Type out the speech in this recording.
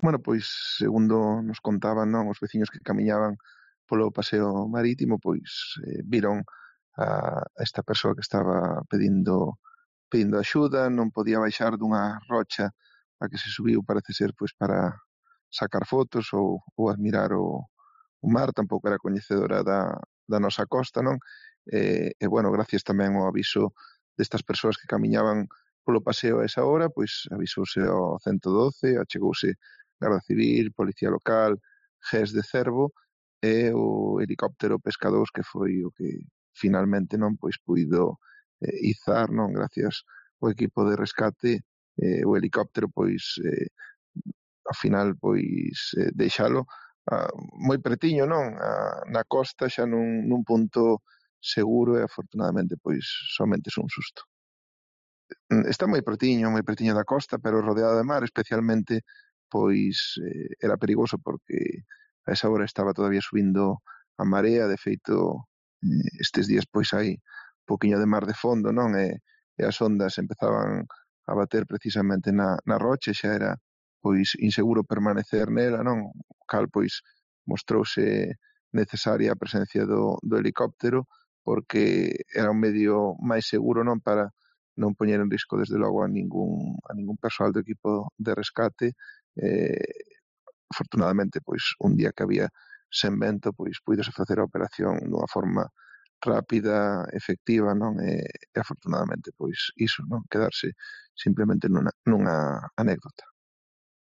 Bueno, pois, segundo nos contaban, non, os veciños que camiñaban polo paseo marítimo, pois viron a esta persoa que estaba pedindo axuda, non podía baixar dunha rocha a que se subiu, parece ser, pois para sacar fotos ou admirar o mar, tampouco era coñecedora da nosa costa, non? Bueno, gracias tamén ao aviso destas persoas que camiñaban polo paseo a esa hora, pois avisouse ao 112, achegouse Garda Civil, Policía Local, GES de Cervo e o helicóptero Pesca 2, que foi o que finalmente non pois puido izar, non, gracias ao equipo de rescate, o helicóptero pois ao final pois deixalo moi pretiño, non, na costa, xa nun punto seguro e afortunadamente pois somente un susto. Está moi pretiño da costa, pero rodeado de mar, especialmente, pois, era perigoso porque a esa hora estaba todavía subindo a marea, de feito, estes días pois hai poquiño de mar de fondo, non? E as ondas empezaban a bater precisamente na rocha e xa era pois inseguro permanecer nela, non? O cal pois mostrouse necesaria a presencia do helicóptero porque era un medio máis seguro, non, para non poñer en risco desde logo a ningún persoal do equipo de rescate. Afortunadamente, pois un día que había sen vento, pois puídose facer a operación dunha forma rápida, efectiva, non? E afortunadamente, pois iso, non? Quedarse simplemente nunha anécdota.